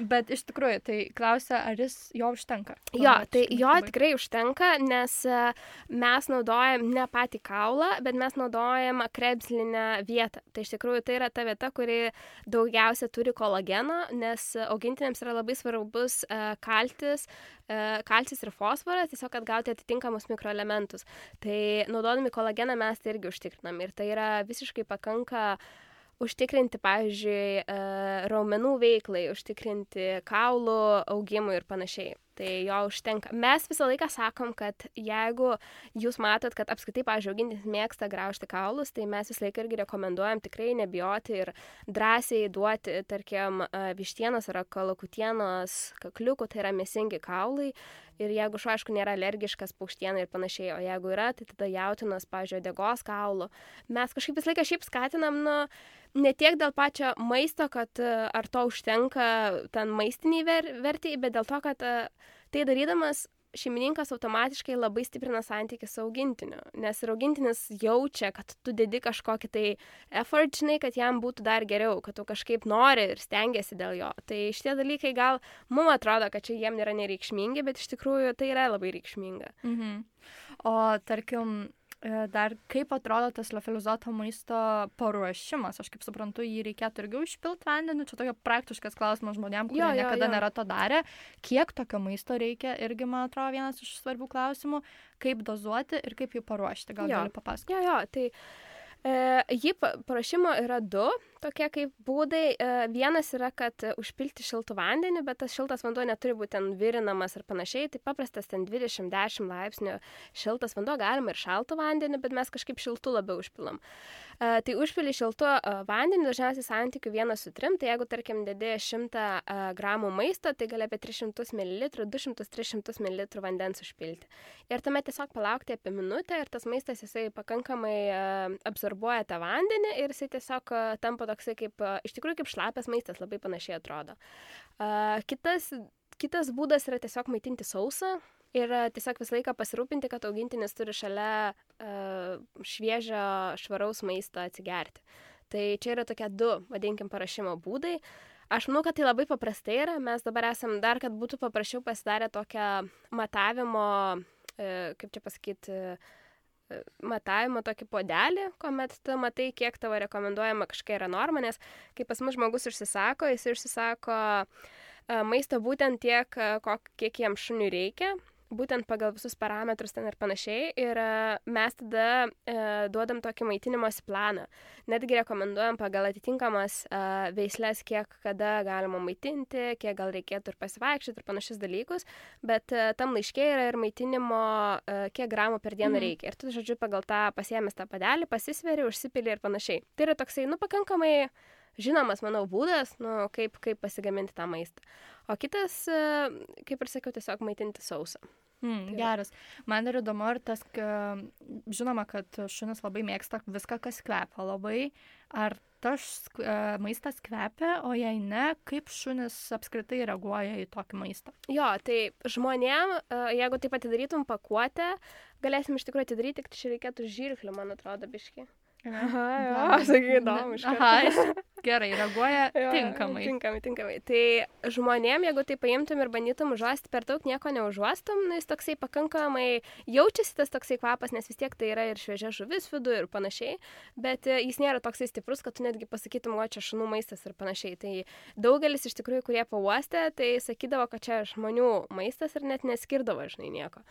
Bet iš tikrųjų, tai klausia, ar jis jo užtenka? Jo, tai jo tikrai užtenka, nes mes naudojam ne patį kaulą, bet mes naudojam krebslinę vietą. Tai iš tikrųjų tai yra ta vieta, kuri daugiausia turi kolageno, nes augintiniams yra labai svarbus kalcis, kalcis ir fosforas, tiesiog kad gauti atitinkamus mikroelementus. Tai naudodami kolageną mes tai irgi užtikrinam ir tai yra visiškai pakanka užtikrinti, pavyzdžiui, raumenų veiklai, užtikrinti kaulų augimui ir panašiai. Tai jo užtenka. Mes visą laiką sakom, kad jeigu jūs matot, kad apskritai, pavyzdžiui, augintinis mėgsta graužti kaulus, tai mes visą laiką irgi rekomenduojam tikrai nebijoti ir drąsiai duoti, tarkim, vištienos ar kalakutienos kakliukų, tai yra mėsingi kaulai. Ir jeigu šuo, aišku, nėra alergiškas paukštienai ir panašiai, o jeigu yra, tai tada jautienos, pavyzdžiui, uodegos kaulų. Mes kažkaip visą laiką šiaip skatinam, nu, ne tiek dėl pačio maisto, kad ar to užtenka ten maistiniai ver, vertėjai, bet dėl to, kad tai darydamas šeimininkas automatiškai labai stiprina santykį su augintiniu, nes ir augintinis jaučia, kad tu dedi kažkokį tai effort, žinai, kad jam būtų dar geriau, kad tu kažkaip nori ir stengiasi dėl jo. Tai šitie dalykai gal mums atrodo, kad čia jiem nėra nereikšmingi, bet iš tikrųjų tai yra labai reikšminga. Mhm. O tarkim, dar kaip atrodo tas liofilizuoto maisto paruošimas? Aš kaip suprantu, jį reikėtų irgi užpilti vandeniu. Čia tokia praktiškas klausimas žmonėm, kurie jo, jo, niekada jo. nėra to darę. Kiek tokio maisto reikia? Irgi, man atrodo, vienas iš svarbių klausimų. Kaip dozuoti ir kaip jį paruošti? Gal gali papasakoti? Jo, jo, tai e, jį paruošimo yra du tokie kaip būdai. E, vienas yra, kad užpilti šiltų vandenį, bet tas šiltas vanduo neturi būti ten virinamas ir panašiai. Tai paprastas ten dvidešimt dešimt laipsnių šiltas vanduo, galima ir šaltų vandenį, bet mes kažkaip šiltų labiau užpilam. E, tai užpili šiltų e, vandenį, dažniausiai santykių vienas su trim. Tai jeigu, tarkim, dedi šimtą e, gramų maisto, tai gali apie tris šimtus mililitrų, du šimtus tris šimtus mililitrų vandens užpilti. Ir tuomet tiesiog palaukti apie minutę ir tas maistas jisai pakankamai e, absorbuoja tą vandenį ir jisai tiesiog e, tampa toksai kaip, iš tikrųjų kaip šlapias maistas, labai panašiai atrodo. Uh, kitas, kitas būdas yra tiesiog maitinti sausą. ir tiesiog visą laiką pasirūpinti, kad augintinis turi šalia uh, šviežio, švaraus maisto atsigerti. Tai čia yra tokie du, vadinkim, paruošimo būdai. Aš manau, kad tai labai paprastai yra. Mes dabar esam dar, kad būtų paprasčiau pasidarę tokią matavimo, uh, kaip čia pasakyti, uh, matavimo tokį podelį, kuomet tu matai, kiek tavo rekomenduojama kažkokia yra norma, nes kai pas mus žmogus užsisako, jis užsisako uh, maisto būtent tiek, uh, kiek jam šuniui reikia, būtent pagal visus parametrus ten ir panašiai. Ir uh, mes tada uh, duodam tokį maitinimosi planą. Netgi rekomenduojam pagal atitinkamas uh, veislės, kiek kada galima maitinti, kiek gal reikėtų ir pasivaikščioti ir panašius dalykus. Bet uh, tam laiške yra ir maitinimo, uh, kiek gramų per dieną mm. reikia. Ir tu, žodžiu, pagal tą pasiėmęs tą padelį, pasisveri, užsipili ir panašiai. Tai yra toksai, nu, pakankamai žinomas, manau, būdas, nu, kaip, kaip pasigaminti tą maistą. O kitas, kaip ir sakiau, tiesiog maitinti sausą. Mm, geras. Man ir įdomu, ir tas, žinoma, kad šunis labai mėgsta viską, kas kvepia labai. Ar tas maistas kvepia, o jei ne, kaip šunis apskritai reaguoja į tokį maistą? Jo, tai žmonėm, jeigu taip atidarytum pakuotę, galėsim iš tikrųjų atidaryti, tik čia reikėtų žirklių, man atrodo, biški. Aha, jo, sakai, įdomu. Aha, gerai, reaguoja tinkamai. Jo, tinkamai, tinkamai. Tai žmonėm, jeigu tai paimtum ir bandytum užuosti, per daug nieko neužuostum, nu, jis toksai pakankamai jaučiasi tas toksai kvapas, nes vis tiek tai yra ir šviežia žuvis vidų ir panašiai, bet jis nėra toksai stiprus, kad tu netgi pasakytum, o čia šunų maistas ir panašiai. Tai daugelis iš tikrųjų, kurie pauostė, tai sakydavo, kad čia žmonių maistas ir net neskirdavo, žinai, nieko.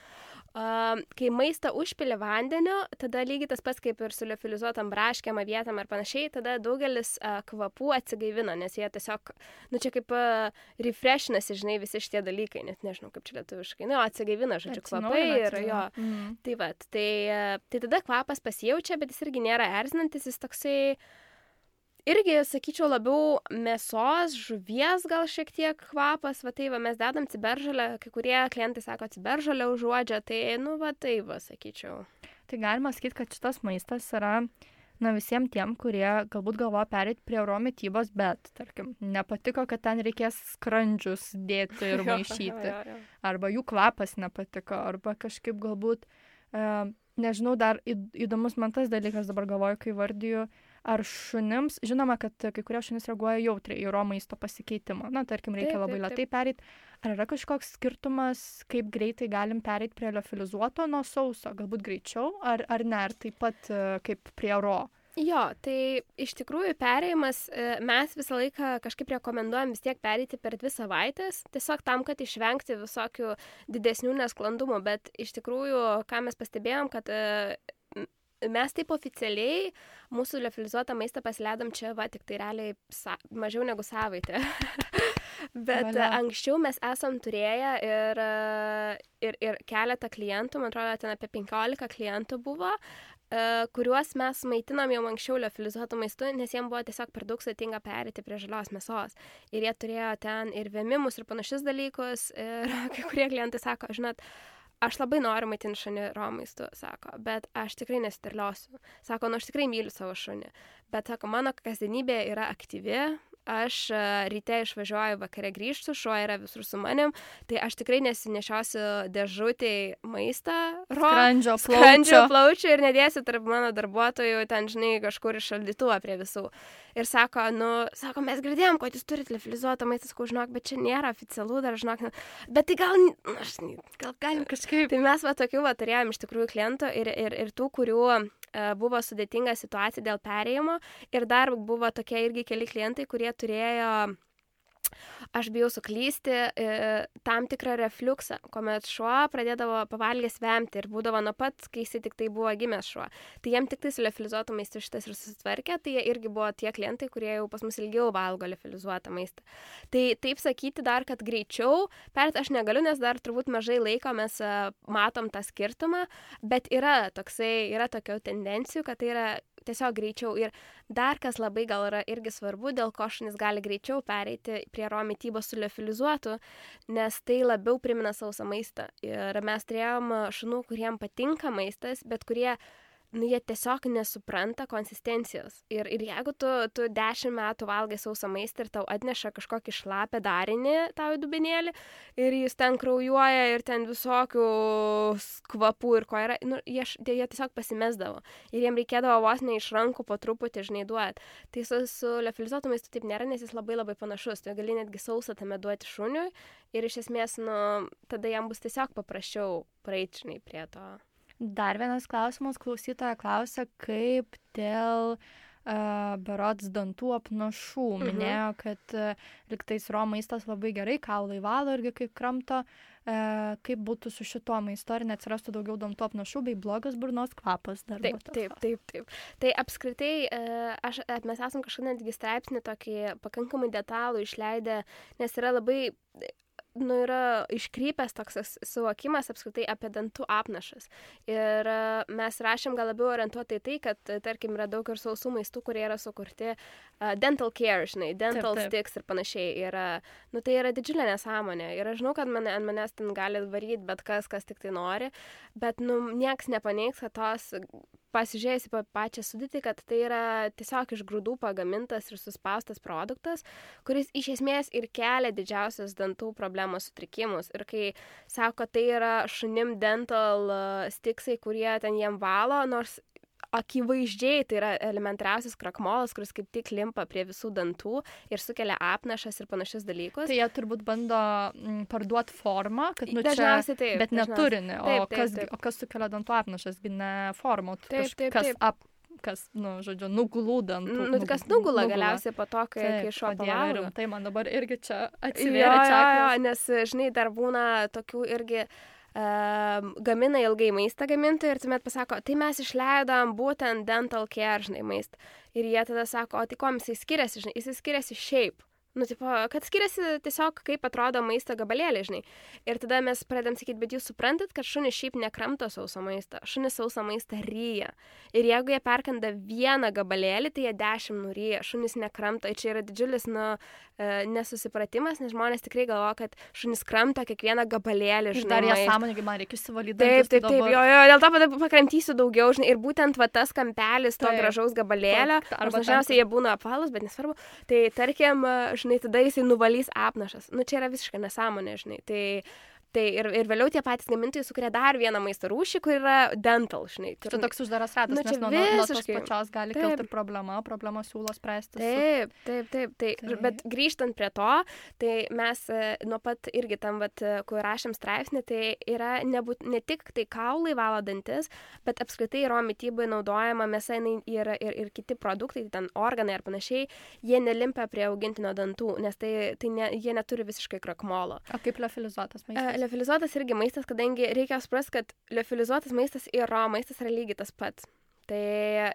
Uh, kai maistą užpili vandeniu, tada lygiai tas pats kaip ir su liofilizuotam braškėm, avietam ir panašiai, tada daugelis uh, kvapų atsigaivina, nes jie tiesiog, nu čia kaip uh, refreshinasi, žinai, visi šitie dalykai, net nežinau, kaip čia lietuviškai, nu, atsigaivina, žodžiu, kvapai ir jo. Mm. Tai va, tai, uh, tai tada kvapas pasijaučia, bet jis irgi nėra erzinantis, jis toksai irgi, sakyčiau, labiau mėsos, žuvies gal šiek tiek kvapas, va tai va, mes dedam ciberžolę, kai kurie klientai sako ciberžolę užuodžia, tai, nu, va tai va, sakyčiau. Tai galima sakyti, kad šitas maistas yra, na, visiems tiem, kurie galbūt galvoja pereiti prie raw mitybos, bet, tarkim, nepatiko, kad ten reikės skrandžius dėti ir maišyti, jo, jo, jo. Arba jų kvapas nepatiko, arba kažkaip galbūt, e, nežinau, dar įdomus man tas dalykas, dabar galvoju, kai vardiju, ar šunims, žinoma, kad kai kurie šunys reaguoja jautriai į raw maisto pasikeitimą. Na, tarkim, reikia taip, labai taip, lėtai pereiti. Ar yra kažkoks skirtumas, kaip greitai galim pereiti prie liofilizuoto nuo sauso? Galbūt greičiau, ar, ar ne, ar taip pat kaip prie raw? Jo, tai iš tikrųjų perėjimas, mes visą laiką kažkaip rekomenduojam vis tiek pereiti per dvi savaitės, tiesiog tam, kad išvengti visokių didesnių nesklandumų, bet iš tikrųjų, ką mes pastebėjom, kad mes taip oficialiai mūsų liofilizuotą maistą pasileidom čia, va, tik tai realiai sa- mažiau negu savaitę. Bet Valia. Anksčiau mes esam turėję ir, ir, ir keletą klientų, man atrodo, ten apie penkiolika klientų buvo, kuriuos mes maitinom jau anksčiau liofilizuotų maistų, nes jiems buvo tiesiog per daug sudėtinga perėti prie žalios mėsos. Ir jie turėjo ten ir vėmimus, ir panašius dalykus. Ir kai kurie klientai sako, žinot, aš labai noriu maitinti šunį raw maistu, sako, bet aš tikrai nesisterliosiu. Sako, nu aš tikrai myliu savo šunį, bet sako, mano kasdienybė yra aktyvi, aš ryte išvažiuoju, vakare grįžtu, šuo yra visur su manim, tai aš tikrai nesinešiosiu dėžutėj maistą, raw, skrandžio plaučio. skrandžio plaučio ir nedėsiu tarp mano darbuotojų ten, žinai, kažkur iš šaldytuvą prie visų. Ir sako, nu, sako, mes girdėjom, kad jūs turite liofilizuotą maistą, sakau, žinok, bet čia nėra oficialu, dar žinok, bet tai gal, aš, gal galim kažkaip. Tai mes va tokių va turėjom iš tikrųjų klientų ir, ir, ir tų, kurių uh, buvo sudėtinga situacija dėl perėjimo ir dar buvo tokie irgi keli klientai, kurie turėjo, aš bijau suklysti, tam tikrą refliuksą, kuomet šuo pradėdavo pavalgęs vemti ir būdavo nuo pat, kai jis tik tai buvo gimęs šuo. Tai jiem tik tai su liofilizuotu maistu šitas ir susitvarkė, tai jie irgi buvo tie klientai, kurie jau pas mus ilgiau valgo liofilizuotą maistą. Tai taip sakyti dar, kad greičiau, perėt aš negaliu, nes dar turbūt mažai laiko mes matom tą skirtumą, bet yra toksai, yra tokių tendencijų, kad tai yra tiesiog greičiau. Ir dar kas labai gal yra irgi svarbu, dėl ko šunys gali greičiau pereiti prie raw mitybos su liofilizuotu, nes tai labiau primena sausą maistą. Ir mes turėjom šunų, kuriem patinka maistas, bet kurie nu, jie tiesiog nesupranta konsistencijos. Ir, ir jeigu tu, tu dešimt metų valgai sausą maistą ir tau atneša kažkokį šlapę darinį tau į dubenėlį ir jis ten kraujuoja ir ten visokių kvapų ir ko yra, nu, jie, jie tiesiog pasimesdavo. Ir jiem reikėdavo vos ne iš rankų po truputį, žinai, duoti. Tai su, su liofilizuotu maistu taip nėra, nes jis labai labai panašus. Tu gali netgi sausą tame duoti šuniui ir iš esmės, nu, tada jam bus tiesiog paprasčiau praeiti, žinai, prie to. Dar vienas klausimas, klausytoja klausia, kaip dėl uh, berods dantų apnašų. Mhm. Minėjo, kad uh, liktais ro maistas labai gerai, kaulai valo irgi kaip kramto, uh, kaip būtų su šito maisto, ar neatsirastų daugiau dantų apnašų bei blogas burnos kvapas. Dar taip, taip, taip, taip. Tai apskritai, uh, aš, mes esam kažkada netgi straipsnį tokį pakankamai detalų išleidę, nes yra labai... nu, yra iškrypęs toks suvokimas apskritai apie dantų apnašas. Ir uh, mes rašėm gal labiau orientuotai tai, kad, tarkim, yra daug ir sausų maistų, kurie yra sukurti uh, dental care, žinai, dental taip, taip. sticks ir panašiai. Ir, uh, nu, tai yra didžiulė nesąmonė. Ir aš žinau, kad mane, ant manęs ten gali varyti bet kas, kas tik tai nori, bet, nu, nieks nepaneigs, kad tos... pasižiūrėjus į pačią sudėtį, kad tai yra tiesiog iš grūdų pagamintas ir suspaustas produktas, kuris iš esmės ir kelia didžiausias dantų problemos sutrikimus. Ir kai sako, tai yra šunim dental stiksai, kurie ten jiem valo, nors akivaizdžiai tai yra elementariausias krakmolas, kuris kaip tik limpa prie visų dantų ir sukelia apnašas ir panašius dalykus. Tai jie turbūt bando m, parduoti formą, kad nu dažniausiai čia, taip, bet neturinį. O, taip, taip, kas, taip. o kas sukelia dantų apnašas, ne formą, taip, taip, kas taip. ap, kas, nu, žodžiu, nuglūdant. Nu, kas nugula galiausiai po to, kai, kai šuo pavalgo. Tai man dabar irgi čia atsivėrė čakros. Nes, žinai, dar būna tokių irgi Uh, gamina ilgai maistą gamintojai ir tuomet pasako, tai mes išleidom būtent dental care, žinai, maistą. Ir jie tada sako, o tai kuom jisai skiriasi, žinai, jisai skiriasi šiaip. Nu, tipo, kad skiriasi tiesiog, kaip atrodo maisto gabalėlė, žinai. Ir tada mes pradedam sakyti, bet jūs suprantat, kad šunis šiaip nekramto sauso maistą. Šunis sauso maistą ryja. Ir jeigu jie perkanda vieną gabalėlį, tai jie dešimt nuryja. Šunis nekramto. Ir čia yra didžiulis, nu, nesusipratimas, nes žmonės tikrai galvoja, kad šunis kramto kiekvieną gabalėlį, žinai. Ir dar jie sąmoningai man reikia įsivalyti. Taip, taip, taip, jo, jo, dėl to pakramtysiu daugiau, žinai. Ir būtent va tas kampelis to taip, gražaus gabalėlio, arba dažniausiai jie būna apvalūs, bet nesvarbu. Tai tarkim, žinai, tada jisai nuvalys apnašas. Nu, čia yra visiškai nesąmonė, žinai. Tai, tai ir, ir vėliau tie patys gamintojai sukuria dar vieną maisto rūšį, kur yra dental, žinai. Čia toks uždaras ratas, nu, nes nuo, nuo tos pačios gali taip. kilti problema, problema siūlo spręsti. Taip, taip, taip, taip. taip. Bet grįžtant prie to, tai mes nuo pat irgi tam, vat, kur rašėm straipsnį, tai yra nebūt, ne tik tai kaulai valo dantis, bet apskritai ro mitybai naudojama mėsa ir, ir, ir kiti produktai, ten organai ar panašiai, jie nelimpa prie augintinio dantų, nes tai, tai ne, jie neturi visiškai krakmolo. O kaip liofilizuotas maistas? Liofilizuotas irgi maistas, kadangi reikia suprasti, kad liofilizuotas maistas ir ro maistas yra lygiai tas pats. Tai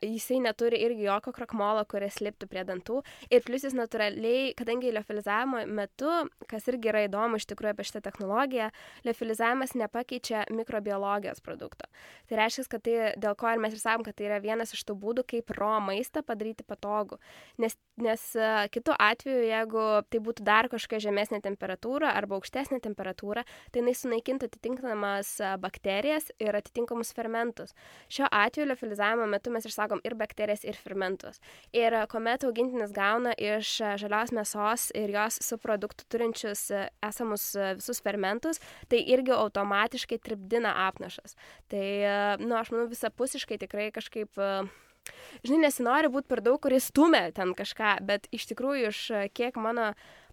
jisai neturi irgi jokio krakmolo, kuris liptų prie dantų. Ir plius jis natūraliai, kadangi liofilizavimo metu, kas irgi yra įdomu iš tikrųjų apie šitą technologiją, liofilizavimas nepakeičia mikrobiologijos produkto. Tai reiškia, kad tai, dėl ko ir mes ir sakom, kad tai yra vienas iš tų būdų, kaip ro maistą padaryti patogų. Nes, nes kitu atveju, jeigu tai būtų dar kažkokia žemesnė temperatūra arba aukštesnė temperatūra, tai jinai sunaikintų atitinkamas bakterijas ir atitinkamus fermentus. Šiuo atveju liofilizavimo metu mes išsakom ir bakterijas, ir fermentus. Ir kuomet augintinis gauna iš žalios mėsos ir jos subproduktų turinčius esamus visus fermentus, tai irgi automatiškai tripdina apnašas. Tai, nu, aš manau, visapusiškai tikrai kažkaip, žinai, nesinori būti per daug, kuris stumia ten kažką, bet iš tikrųjų, iš kiek mano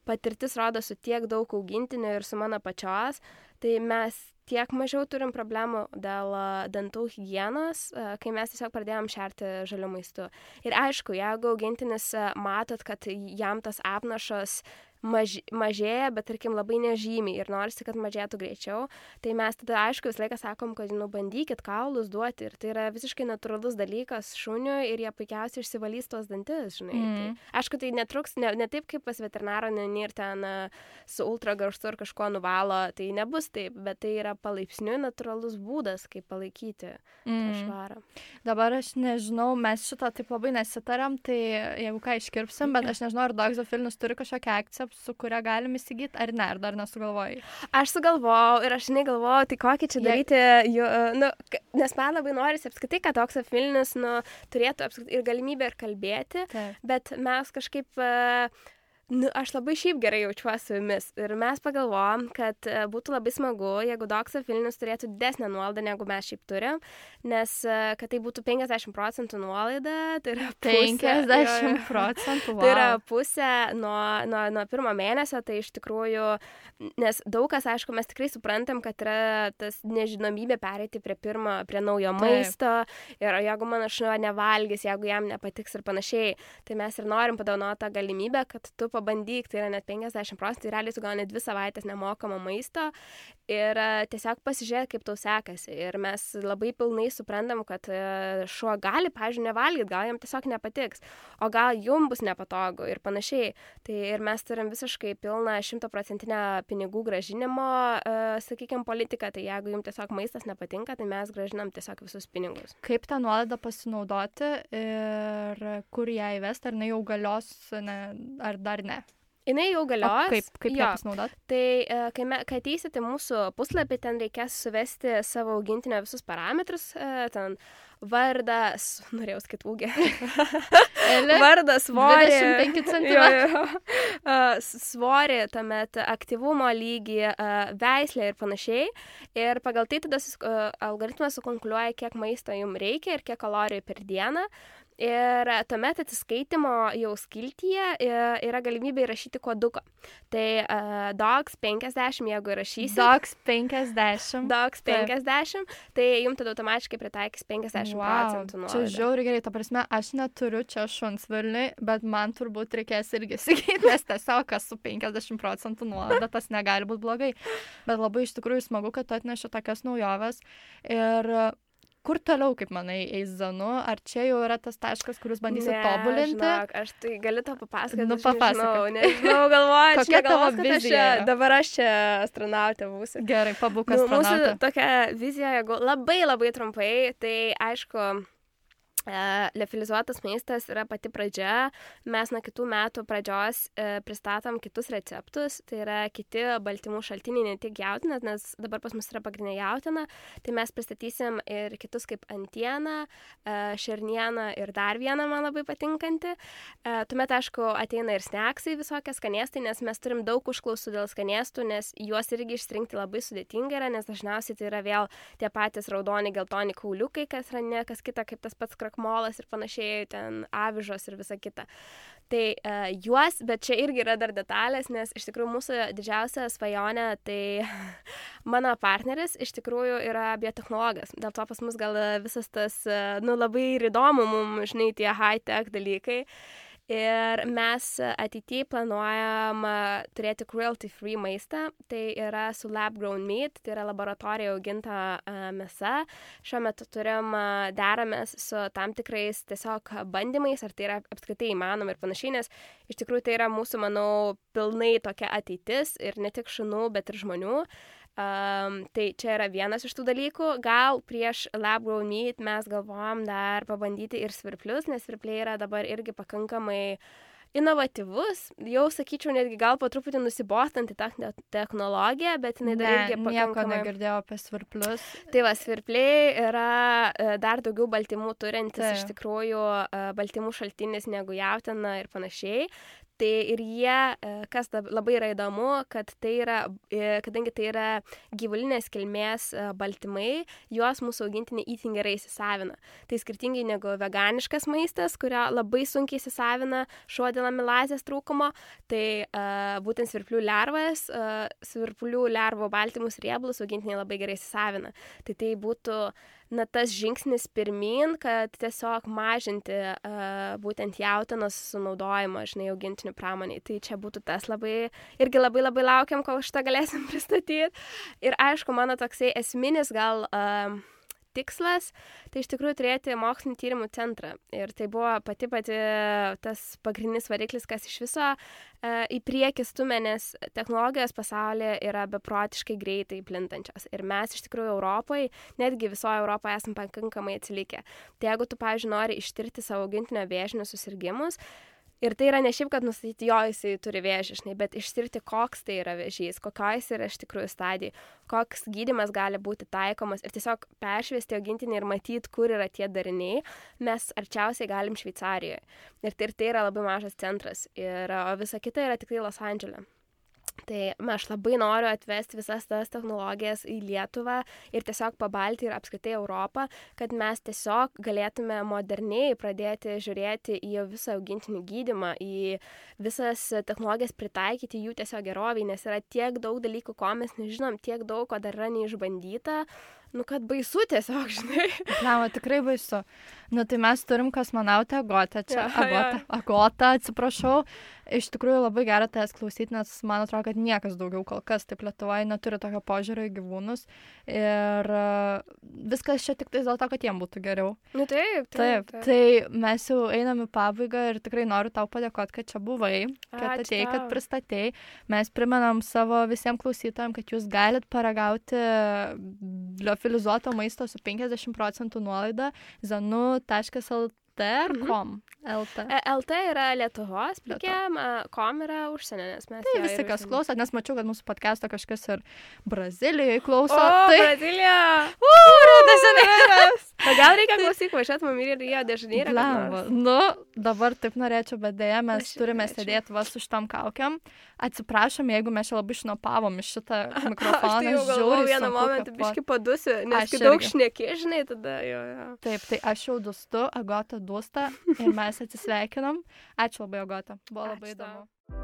patirtis rodo su tiek daug augintinių ir su mano pačios, tai mes tiek mažiau turim problemų dėl dantų higienos, kai mes tiesiog pradėjom šerti žaliu maistu. Ir aišku, jeigu augintinis matot, kad jam tas apnašas maž, mažėja, bet tarkim labai nežymiai ir norisi, kad mažėtų greičiau, tai mes tada aišku visą laiką sakom, kad nu, bandykit kaulus duoti ir tai yra visiškai natūralus dalykas šuniui ir jie puikiausiai išsivalys tos dantis, žinai. Mm. Tai, aišku, tai netruks, ne, ne taip kaip pas veterinarą, ne ir ten su ultragarsu ar kažko nuvalo, tai nebus taip, bet tai yra palaipsniui natūralus būdas, kaip palaikyti mm. tą švarą. Dabar aš nežinau, mes šito taip labai nesitariam, tai jeigu ką iškirpsim, bet aš nežinau, ar Doxofilnis turi kažkokią akciją su kuria galim įsigyti, ar ne, ar dar nesugalvojai? Aš sugalvojau ir aš negalvojau, tai kokį čia daryti, jo, nu, nes man labai norisi apskritai, kad Oxford Vilnius nu, turėtų apskritai ir galimybę ir kalbėti, Taip. bet mes kažkaip... Uh, Nu, aš labai šiaip gerai jaučiuosi su jumis ir mes pagalvojom, kad būtų labai smagu, jeigu Oxford Vilnius turėtų didesnę nuolaidą, negu mes šiaip turim, nes kad tai būtų penkiasdešimt procentų nuolaida, tai yra pusė, penkiasdešimt procentų, wow. Tai yra pusė nuo, nuo, nuo pirmo mėnesio, tai iš tikrųjų, nes daug kas, aišku, mes tikrai suprantam, kad yra tas nežinomybė pereiti prie pirmo, prie naujo Taip. maisto ir jeigu mano šuo nevalgys, jeigu jam nepatiks ir panašiai, tai mes ir norim padovanoti tą galimybę, kad tu pabandyk, tai yra net penkiasdešimt procentų, realiai tu gauni dvi savaitės nemokamo maisto ir uh, tiesiog pasižiūrėk, kaip tau sekasi. Ir mes labai pilnai suprantam, kad uh, šuo gali, pavyzdžiui, nevalgyti, gal jam tiesiog nepatiks, o gal jum bus nepatogu ir panašiai. Tai ir mes turim visiškai pilną šimtaprocentinę pinigų gražinimo, uh, sakykime, politiką, tai jeigu jums tiesiog maistas nepatinka, tai mes gražinam tiesiog visus pinigus. Kaip tą nuolaidą pasinaudoti ir kur ją įvesti, ar ne jau galios, ne, ar dar ne? Jinai jau galios. O kaip, kaip ją pasinaudoti? Tai kai, me, kai ateisite mūsų puslapį, ten reikės suvesti savo augintinio visus parametrus, ten vardą, norėjau skaitų ūgį, vardą, svorį, dvidešimt penki centimetrai, svorį, tuomet aktyvumo lygį, veislę ir panašiai. Ir pagal tai tada algoritmas sukonkuliuoja, kiek maisto jums reikia ir kiek kalorijų per dieną. Ir tuomet atsiskaitimo jau skiltyje yra galimybė įrašyti koduką. Tai uh, dogs penkiasdešimt, jeigu įrašysit. Dogs penkiasdešimt. Dogs penkiasdešimt, tai jums tada automatiškai pritaikys penkiasdešimt wow, procentų nuolaidą. Čia žiauriai gerai, ta prasme, aš neturiu čia šuns Vilniui, bet man turbūt reikės irgi įsigyti, nes tiesiog kas su penkiasdešimt procentų nuolaida, tas negali būti blogai. Bet labai iš tikrųjų smagu, kad tu atneši tokias naujoves. Ir kur toliau, kaip manai, eis Zanu? Ar čia jau yra tas taškas, kur jūs bandysit ne, tobulinti? Ne, žinok, aš tai galiu to papasakoti. Nu, papasakok. Nežinau, nežinau, galvoju, kokia tavo galvos, vizija? Aš, dabar aš čia astronautė būsiu. Gerai, pabūk nu, astronautė. Mūsų tokia vizija, jeigu labai labai trumpai, tai aišku, Uh, liofilizuotas maistas yra pati pradžia. Mes nuo kitų metų pradžios uh, pristatom kitus receptus, tai yra kiti baltymų šaltiniai, ne tik jautiena, nes dabar pas mus yra pagrindinė jautiena, tai mes pristatysim ir kitus kaip antieną, uh, šernieną ir dar vieną man labai patinkantį. Uh, tuomet, aišku, ateina ir sneksai visokie skanėstai, nes mes turim daug užklausų dėl skanėstų, nes juos irgi išsirinkti labai sudėtinga yra, nes dažniausiai tai yra vėl tie patys raudoni, geltoni kauliukai, kas yra ne kas kita, kaip tas pats molas ir panašiai, ten avižos ir visa kita. Tai uh, juos, bet čia irgi yra dar detalės, nes iš tikrųjų mūsų didžiausia svajonė, tai mano partneris iš tikrųjų yra biotechnologas. Dėl to pas mus gal visas tas, uh, nu, labai ir įdomu mums, žinai, tie high-tech dalykai. Ir mes ateityje planuojam turėti cruelty-free maistą, tai yra su lab-grown meat, tai yra laboratorija auginta uh, mėsa. Šiuo metu turim uh, deramės su tam tikrais tiesiog bandymais, ar tai yra apskritai įmanoma ir panašiai, nes iš tikrųjų tai yra mūsų, manau, pilnai tokia ateitis ir ne tik šunų, bet ir žmonių. Um, tai čia yra vienas iš tų dalykų. Gal prieš lab-grown meat mes galvojam dar pabandyti ir svirplius, nes svirpliai yra dabar irgi pakankamai inovatyvus. Jau sakyčiau, netgi gal po truputį nusibostanti tą technologiją, bet jinai dar ne, irgi pakankamai... nieko negirdėjau apie svirplius. Tai va, svirpliai yra dar daugiau baltymų turintis, tai iš tikrųjų baltymų šaltinis negu jautiena ir panašiai. Tai ir jie, kas labai yra įdomu, kad tai yra, kadangi tai yra gyvulinės kilmės baltymai, juos mūsų augintiniai itin gerai įsisavina. Tai skirtingai negu veganiškas maistas, kurio labai sunkiai įsisavina šuo dėl amilazės trūkumo, tai uh, būtent svirplių lervas, uh, svirplių lervų baltymus riebalus augintiniai labai gerai įsisavina. Tai tai būtų na, tas žingsnis pirmin, kad tiesiog mažinti uh, būtent jautienos sunaudojimą, žinai, augintinių pramoniai. Tai čia būtų tas labai, irgi labai labai laukiam, kol šitą galėsim pristatyti. Ir aišku, mano toksai esminis gal uh, tikslas, tai iš tikrųjų turėti mokslinį tyrimų centrą. Ir tai buvo pati pati tas pagrindinis variklis, kas iš viso uh, į priekį stumia, nes technologijos pasaulyje yra beprotiškai greitai plintančios. Ir mes iš tikrųjų Europoje, netgi visoje Europoje esame pakankamai atsilikę. Tai jeigu tu, pavyzdžiui, nori ištirti savo augintinio vėžinius susirgimus, Ir tai yra ne šiaip, kad nustatyti, jo jisai turi vėžį, žinai, bet ištirti, koks tai yra vėžys, kokioj jis yra iš tikrųjų stadijai, koks gydymas gali būti taikomas ir tiesiog peršviesti augintinį ir matyti, kur yra tie dariniai, mes arčiausiai galim Šveicarijoje. Ir tai, ir tai yra labai mažas centras. Ir o visa kita yra tikrai Los Andžele. Tai aš labai noriu atvesti visas tas technologijas į Lietuvą ir tiesiog pabalti ir apskritai Europą, kad mes tiesiog galėtume moderniai pradėti žiūrėti į visą augintinių gydymą, į visas technologijas pritaikyti jų tiesiog gerovį, nes yra tiek daug dalykų, ko mes nežinom, tiek daug, ko dar yra neišbandyta. Nu, kad baisu tiesiog, žinai. Lama, tikrai baisu. Nu, tai mes turim kosmonautę Agotą čia. Ja, Agotą, ja. Agotą, atsiprašau. Iš tikrųjų labai gera tavęs klausyti, nes man atrodo, kad niekas daugiau kol kas taip Lietuvoje neturi tokio požiūrio į gyvūnus. Ir uh, viskas čia tik tais dėl to, kad jiem būtų geriau. Nu, taip, taip, taip. taip. Tai mes jau einam į pabaigą ir tikrai noriu tau padėkoti, kad čia buvai, kad Ačiū atėjai, kad tau. pristatei. Mes primenam savo visiems klausytojams, kad jūs galit paragauti liofilizuoto maisto su penkiasdešimt procentų nuolaida zanu taškas el tė ar kom? el tė. E, L T yra Lietuvos plikiam, kom yra užsienio, nes mes... Tai jo visi, ir kas užsienio. klauso, nes mačiau, kad mūsų podcast'o kažkas ir Brazilijoje klauso. O, tai... Brazilija! O gal reikia klausyk, važiuot mum ir Rio de Janeiro. Blemba. Nu, dabar taip norėčiau, bet dėja mes Aš turime norėčiau. sėdėti vas su šitom kaukiam. Atsiprašom, jeigu mes čia labai šnopavom iš šitą Aš mikrofoną. tai jau galvoju žiauriai vieną sunku momentą, kvėpuot. biški padusiu, nes Aš kai daug irgi. šneki, žinai, tada jo, jo. Taip, tai aš jau dustu, Agota dūsta ir mes atsisveikinam. Ačiū labai, Agota. Buvo labai Ačiū tau. įdomu.